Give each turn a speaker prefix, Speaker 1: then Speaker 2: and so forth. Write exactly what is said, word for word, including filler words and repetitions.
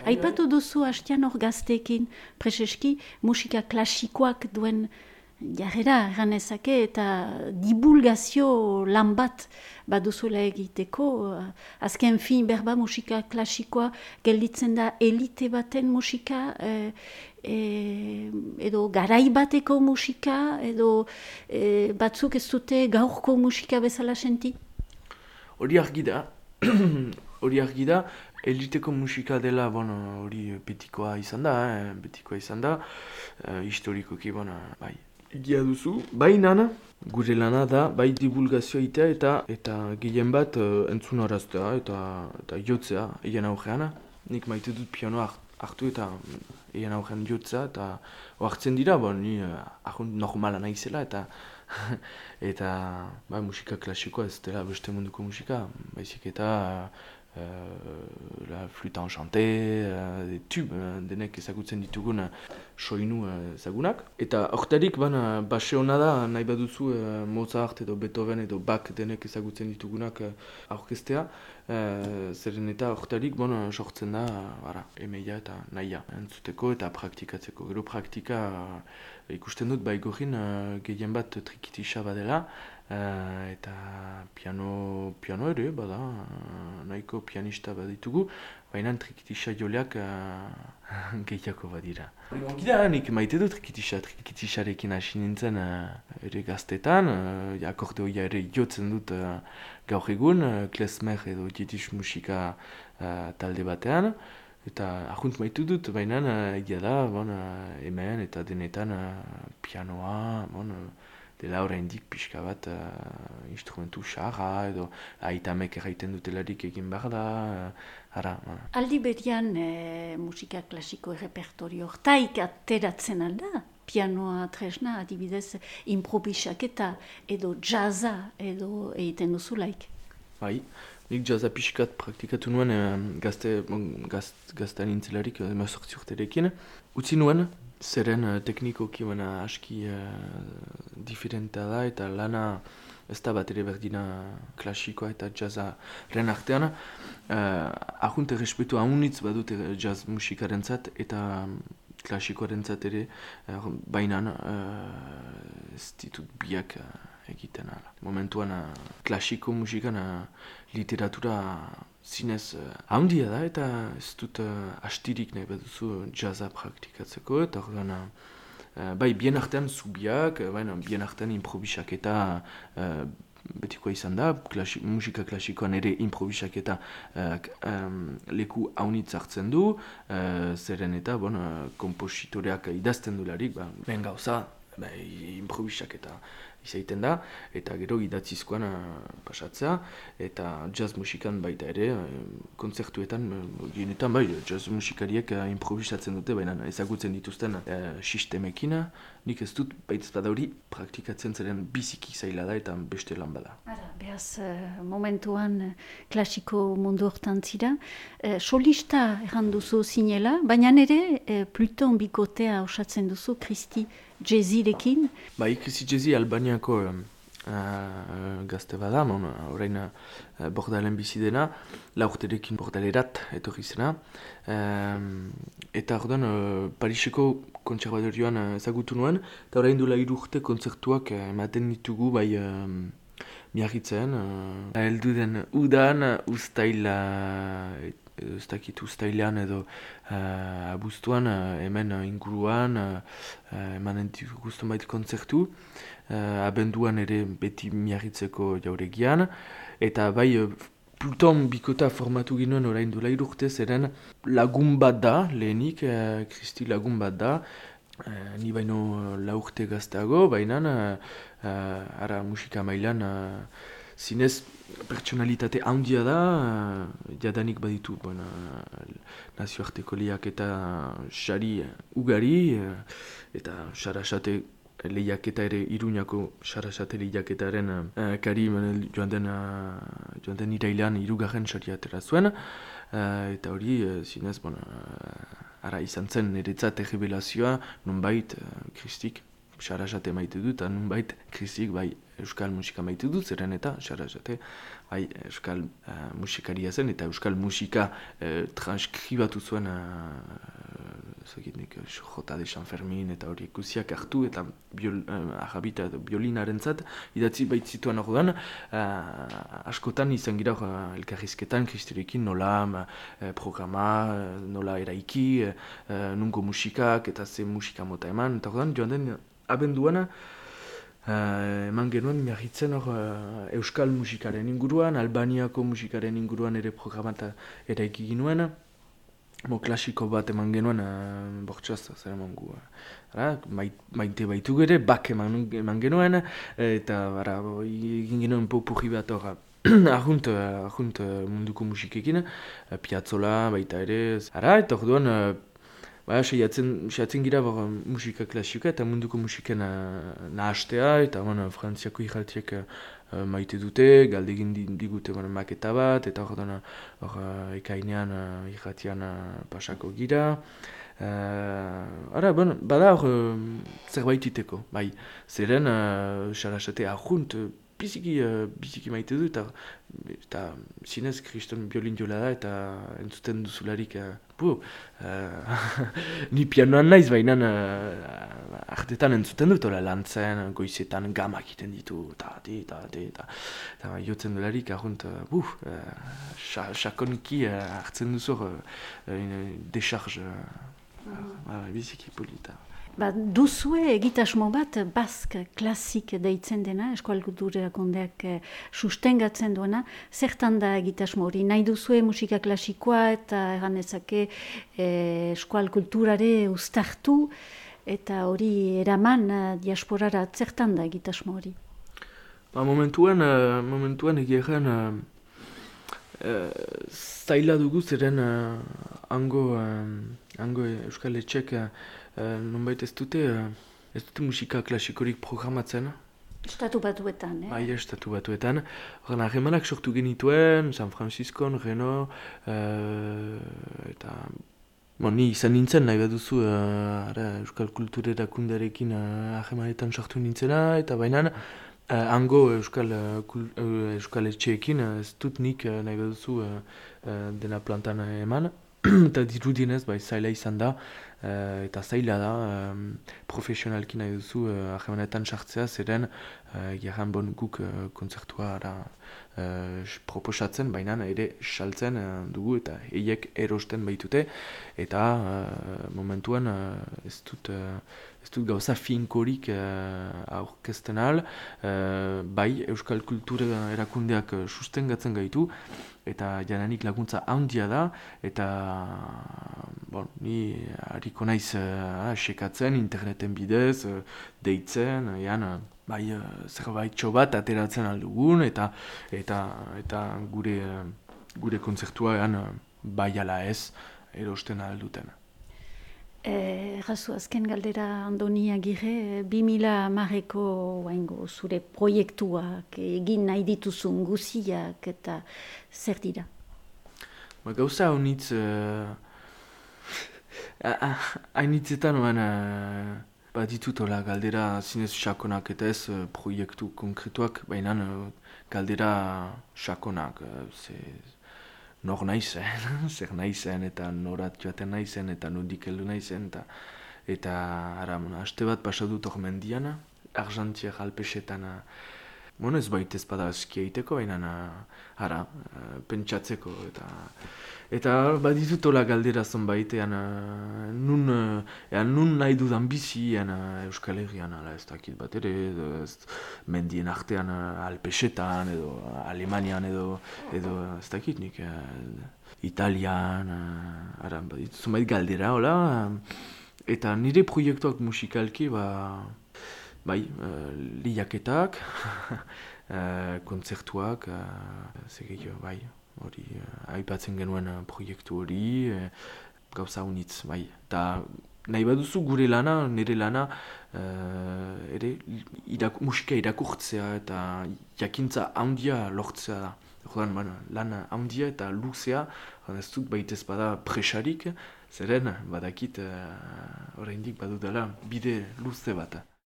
Speaker 1: Aipatu duzu hastian hor gazteekin, preseski musika klasikoak duen jarrera erranezake eta divulgazio lan bat baduzuela egiteko. Azken fin berba musika klasikoa gelditzen da elite baten musika, eh, eh, edo garai bateko musika, edo eh, batzuk ez dute gaurko musika bezala senti?
Speaker 2: Hori argi da, hori argi da, eliteko musika dela, bon, hori betikoa izan da, eh, betikoa izan da, eh, historikoki, bon, bai, egia duzu, baina gure lana da, bai divulgazioa itea eta eta gehien bat uh, entzun araztea eta, eta jotzea egin aurrean. Nik maite dut pianoa hartu eta egin aurrean jotzea eta oartzen dira, bon, ni uh, ahont normala naizela eta eta bai, musika klasikoa ez dela beste munduko musika, baizik eta Uh, la flûte enchantée, uh, des tubes, uh, denek ezagutzen ditugun uh, soinu ezagunak. Uh, eta hortarik bana base hona da, nahi baduzu uh, Mozart edo Beethoven edo Bach denek ezagutzen ditugunak uh, aurkestea. Uh, zeren eta hortarik bon, sortzen da uh, emeia eta nahia entzuteko eta praktikatzeko. Gero praktika uh, ikusten dut baigorin uh, gehien bat trikitisa badela. Uh, eta piano, piano ere, bada, uh, nahiko pianista baditugu, baina trikitisa joleak uh, gehiako badira. Gida, nik maite du trikitisa, trikitisarekin hasi nintzen uh, ere gaztetan, uh, akordeoia ere jotzen dut uh, gaur egun, uh, klezmer edo jiddisch musika uh, talde batean, eta ahunt maitu dut, baina uh, egia da, bon, uh, hemen eta denetan uh, pianoa, bon, uh, dela oraindik pixka bat uh, instrumentu xarra edo aitamek erraiten dutelarik egin behar da. Uh, ara, uh.
Speaker 1: Aldi berian eh, musika klasiko errepertorio hortaik ateratzen alda? Pianoa tresna, adibidez, improvisaketa edo jazza edo egiten duzulaik?
Speaker 2: Bai, nik jazza pixkat praktikatu nuen eh, gazte, bon, gazt, gaztean intzelarik emazortzi urterekin. Utzi nuen, zeren uh, teknikoki baina aski uh, diferentea da eta lana ez da bat ere berdina klasikoa eta jazzaren artean. Uh, Ahunt errespetu haunitz badut jazz musikarentzat eta klasikoarentzat ere, uh, bainan uh, ez ditut biak uh, egiten ala. Momentuan uh, klasiko musikan uh, literatura zinez uh, handia da eta ez dut uh, astirik nahi baduzu jazza praktikatzeko eta orduan uh, bai bien artean zubiak, uh, baina bien artean improvisaketa uh, betikoa izan da, klasi, musika klasikoan ere improvisaketa uh, um, leku haunitz hartzen du, uh, zeren eta bon, uh, kompositoreak idazten dularik, ba, ben gauza, ba, improvisaketa izaiten da, eta gero idatzizkoan uh, pasatzea, eta jazz musikan baita ere, uh, kontzertuetan, uh, genetan bai, jazz musikariek uh, improvisatzen dute, baina ezagutzen dituzten uh, sistemekin, nik ez dut baitz bada hori praktikatzen zeren biziki zaila da eta beste lan bada.
Speaker 1: Ara, behaz, uh, momentuan uh, klasiko mundu hortan zira, uh, solista erran duzu zinela, baina ere uh, Pluton bikotea osatzen duzu, Kristi Jazzirekin.
Speaker 2: Bai, Kristi Jazzi Albaniako um, uh, gazte bada, mon, orain uh, bordalen bizi dena, laurterekin bordalerat etorri zena. Um, eta orduan uh, Pariseko kontserbatorioan uh, ezagutu nuen, eta orain duela hiru urte kontzertuak uh, ematen ditugu bai um, miarritzen. Uh, heldu den udan, ustaila, ez dakit ustailean edo uh, abuztuan, uh, hemen uh, inguruan, uh, emanen dituzten bait kontzertu, uh, abenduan ere beti miarritzeko jauregian, eta bai uh, Pluton bikota formatu ginoen orain duela hiru urte zeren lagun bat da, lehenik, uh, Kristi lagun bat da, uh, ni baino lau urte gazteago, baina uh, uh, ara musika mailan uh, zinez pertsonalitate handia da, uh, jadanik baditu bon, uh, nazioarteko lehiak eta sari ugari, uh, eta sarasate lehiaketa ere Iruñako sarasate lehiaketaren uh, kari joan den, uh, joan den irailean hirugarren saria atera zuen, uh, eta hori uh, zinez bon, uh, ara izan zen niretzat errebelazioa nonbait uh, Kristik Sarasate maite dut, eta nunbait krisik bai euskal musika maite dut, zeren eta Sarasate bai euskal uh, musikaria zen, eta euskal musika uh, transkribatu zuen Zagitnik, Jota de San Fermin eta hori ikusiak hartu eta biol, uh, arrabita biolinaren zat, idatzi baitzituan orduan, uh, askotan izan gira uh, elkarrizketan, kristirekin nola uh, programa, uh, nola eraiki, uh, nungo musikak eta ze musika mota eman, eta orduan joan den abenduana, uh, eman genuen miarritzen hor uh, euskal musikaren inguruan, Albaniako musikaren inguruan ere programata eraiki ginuen, Mo klasiko bat eman genuen, uh, bortxaz, zer eman gu. Uh, maite baitu gere, bak eman, eman genuen, eta bara, egin genuen popurri bat hor, ahunt, ahunt munduko musikekin, uh, Piazzolla baita ere. Ara, eta orduan, uh, ba, seiatzen, seiatzen gira bor, musika klasikoa eta munduko musiken uh, nahastea, eta bon, frantziako ijaltiek uh, maite dute, galdegin digute bon, maketa bat, eta hor uh, ekainean uh, irratian uh, pasako gira. Uh, ara, bon, bada hor uh, zerbait iteko, bai, zeren uh, Sarasate ahunt, uh, biziki, uh, biziki maite du, eta, eta zinez kriston biolin jola da, eta entzuten duzularik, uh, bu, uh, ni pianoan naiz, baina uh, artetan entzuten dut, ola lantzen, goizetan gamak iten ditu, eta, eta, eta, eta, jotzen dularik, ahunt, uh, bu, uh, sakoniki uh, hartzen duzu, uh, decharge, uh, uh, biziki polita.
Speaker 1: Ba, duzue egitasmo bat bask klasik deitzen dena, Eskual Kulturakondeak eh, sustengatzen duena, zertan da egitasmo hori? Nahi duzue musika klasikoa eta erganezake eh, eskual kulturare uztartu eta hori eraman eh, diasporara, zertan da egitasmo hori?
Speaker 2: Ba, momentuan, uh, momentuan egiaren uh, uh, zaila dugu zeren uh, hango, uh, hango euskal etxek uh, Uh, nonbait ez dute, uh, ez dute musika klasikorik programatzen.
Speaker 1: Estatu batuetan, eh?
Speaker 2: Bai, estatu batuetan. Horren, harremanak sortu genituen, San Franciscon, Reno, uh, eta... Bon, ni izan nintzen, nahi bat duzu, uh, ara, euskal kultura erakundearekin harremanetan uh, sortu nintzena, eta baina uh, hango euskal, uh, kul, uh, euskal etxeekin, uh, ez dut nik uh, nahi bat duzu uh, uh, dena plantan uh, eman. Eta dirudienez, bai, zaila izan da, uh, eta zaila da, um, profesionalki nahi duzu uh, ahemanetan sartzea, zeren uh, jarran bon guk uh, kontzertua ara, uh, proposatzen, baina ere saltzen uh, dugu eta eiek erosten baitute, eta uh, momentuan uh, ez dut... Uh, Ez dut gauza finkorik uh, aurkezten ahal, uh, bai euskal kultura erakundeak uh, sustengatzen gaitu, eta jananik laguntza handia da, eta bon, ni hariko naiz uh, sekatzen interneten bidez, uh, deitzen, uh, jan, uh, bai uh, zerbait txobat ateratzen aldugun, eta eta eta gure, uh, gure kontzertua jan, uh, bai ala ez erosten alduten.
Speaker 1: Errazu, eh, azken galdera Andoni Agirre, bi mila hamareko zure proiektuak egin nahi dituzun guziak eta zer dira?
Speaker 2: Ba, gauza honitz, hainitzetan uh, uh, bat ditutola galdera zinez sakonak eta ez uh, proiektu konkretuak, baina uh, galdera sakonak, uh, ze, nor naizen, zer naizen eta norat joaten naizen eta nodik heldu naizen eta eta ara, haste bat pasadut hor mendian, Argentier Alpesetan, bon ez baita ez bada eskia iteko, baina ara, pentsatzeko eta eta baditut hola galdera zonbaitean nun, ean, nun nahi dudan bizi ean, Euskal Herrian, ala, ez dakit bat ere, ez, mendien artean Alpesetan edo Alemanian edo, edo ez dakit nik, Italian, ara, baditut zonbait galdera, hola, eta nire proiektuak musikalki, ba, bai, uh, liaketak, uh, kontzertuak, uh, zegei, bai, hori, uh, aipatzen genuen uh, proiektu hori, uh, gauza honitz, bai. Ta nahi baduzu gure lana, nire lana, uh, ere irak, musika irakurtzea eta jakintza handia lortzea da. Jodan, bueno, lan handia eta luzea, ez dut baitez bada presarik, zeren badakit uh, oraindik badudala bide luze bat.